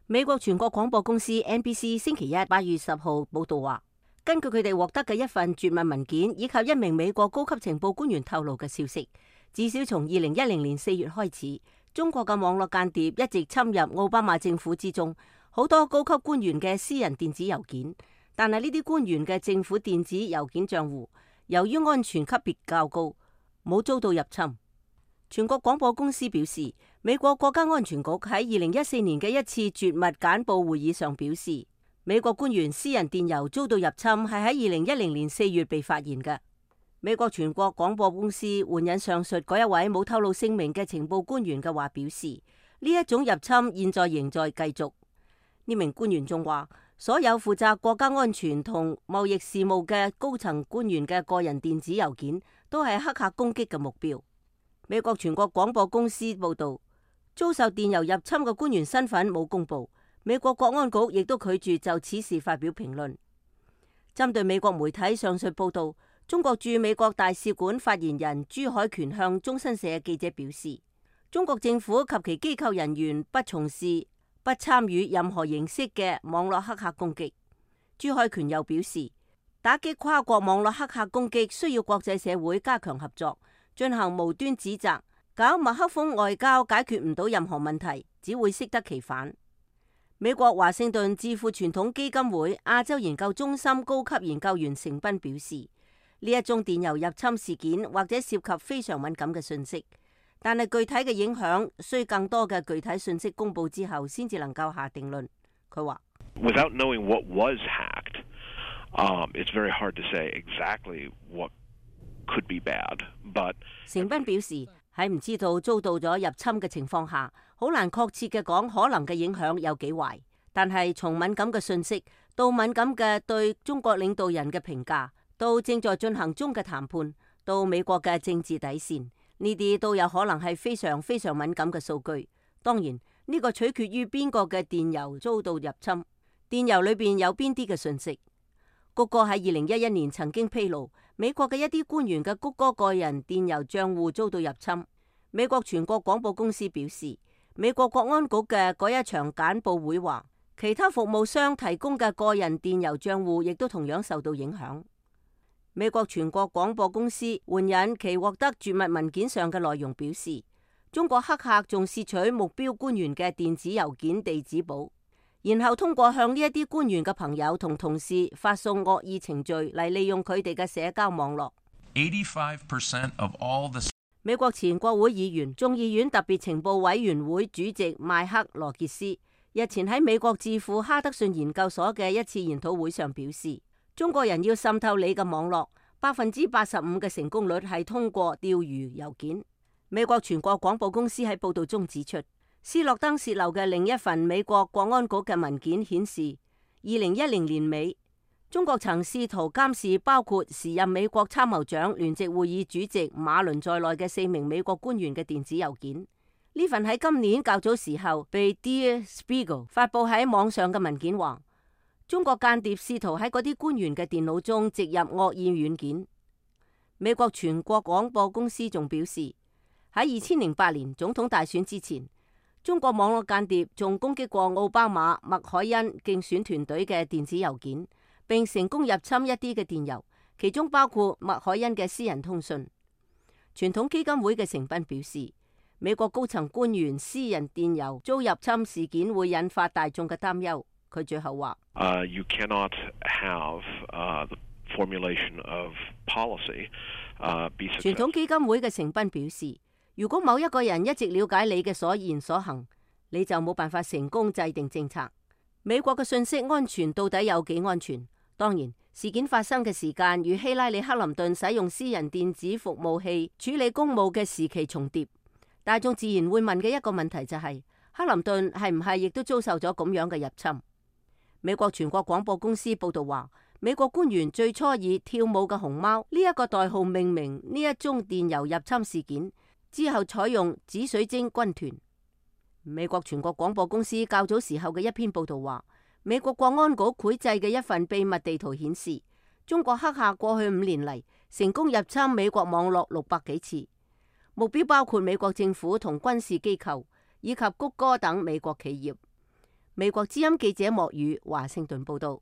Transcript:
美國全國廣播公司 NBC 星期一8月10號報道話，根據佢哋獲得嘅一份絕密文件以及一名美國高級情報官員透露嘅消息，至少從2010年4月開始，中國嘅網絡間諜一直侵入奧巴馬政府之中好多高級官員嘅私人電子郵件，但係呢啲官員嘅政府電子郵件賬戶由於安全級別較高，冇遭到入侵。全國廣播公司表示，美國國家安全局喺2014年嘅一次絕密簡報會議上表示，美國官員私人電郵遭到入侵係喺2010年4月被發現嘅。美國全國廣播公司援引上述嗰一位冇透露姓名嘅情報官員嘅話表示，呢一種入侵現在仍在繼續。呢名官員仲話，所有負責國家安全同貿易事務嘅高層官員嘅個人電子郵件都係黑客攻擊嘅目標。美國全國廣播公司報道，遭受電郵入侵嘅官員身份冇公布，美國國安局亦都拒絕就此事發表評論。針對美國媒體上述報道，中國駐美國大使館發言人朱海權向中新社記者表示，中國政府及其機構人員不從事、不參與任何形式嘅網絡黑客攻擊。朱海權又表示，打擊跨國網絡黑客攻擊需要國際社會加強合作，進行無端指責，搞麥克風外交解決唔到任何問題，只會適得其反。美國華盛頓智庫傳統基金會亞洲研究中心高級研究員成斌表示，呢一宗電郵入侵事件或者涉及非常敏感嘅信息，但係具體嘅影響需更多嘅具體信息公佈之後先至能夠下定論。佢話，Without knowing what was hacked, it's very hard to say exactly what could be bad. But 成斌表示，喺唔知道遭到咗入侵嘅情況下，好難確切嘅講可能嘅影響有幾壞。但係從敏感嘅信息到敏感嘅對中國領導人嘅評價，到正在進行中嘅談判，到美國嘅政治底線，呢啲都有可能係非常非常敏感嘅數據。當然，呢個取決於邊個嘅電郵遭到入侵，電郵裏邊有邊啲嘅信息。谷歌喺2011年曾經披露，美國嘅一啲官員嘅谷歌個人電郵賬戶遭到入侵。美國全國廣播公司表示，美國國安局嘅嗰一場簡報會話，其他服務商提供嘅個人電郵賬戶亦都同樣受到影響。美國全國廣播公司援引其獲得絕密文件上嘅內容表示，中國黑客仲竊取目標官員嘅電子郵件地址簿，然後通過向呢一啲官員嘅朋友同同事發送惡意程序嚟利用佢哋嘅社交網絡。85% of all the 美國前國會議員、眾議院特別情報委員會主席邁克羅傑斯日前喺美國智庫哈德遜研究所嘅一次研討會上表示，中國人要滲透你嘅網絡，85%嘅成功率係通過釣魚郵件。美國全國廣播公司喺報道中指出，斯諾登洩漏嘅另一份美國國安局嘅文件顯示，2010年尾，中國曾試圖監視包括時任美國參謀長聯席會議主席馬倫在內嘅4名美國官員嘅電子郵件。呢份喺今年較早時候被 Der Spiegel 發佈喺網上嘅文件話，中國間諜試圖喺嗰啲官員嘅電腦中植入惡意軟件。美國全國廣播公司仲表示，喺2008年總統大選之前，中國網絡間諜仲攻擊過奧巴馬、麥凱恩競選團隊嘅電子郵件，並成功入侵一啲嘅電郵，其中包括麥凱恩嘅私人通訊。傳統基金會嘅成斌表示，美國高層官員私人電郵遭入侵事件會引發大眾嘅擔憂。佢最後話：You cannot have the formulation of policy be successful. 傳統基金會嘅成斌表示，如果某一個人一直了解你嘅所言所行，你就冇辦法成功制定政策。美國嘅信息安全到底有幾安全？當然，事件發生嘅時間與希拉里克林頓使用私人電子服務器處理公務嘅時期重疊。大眾自然會問嘅一個問題就係，克林頓係唔係亦都遭受咗咁樣嘅入侵？美國全國廣播公司報道話，美國官員最初以跳舞嘅熊貓呢一個代號命名呢一宗電郵入侵事件，之後採用紫水晶軍團。美國全國廣播公司較早時候嘅一篇報道話，美國國安局繪製嘅一份秘密地圖顯示，中國黑客過去5年嚟成功入侵美國網絡600幾次，目標包括美國政府同軍事機構以及谷歌等美國企業。美國之音記者莫宇華盛頓報道。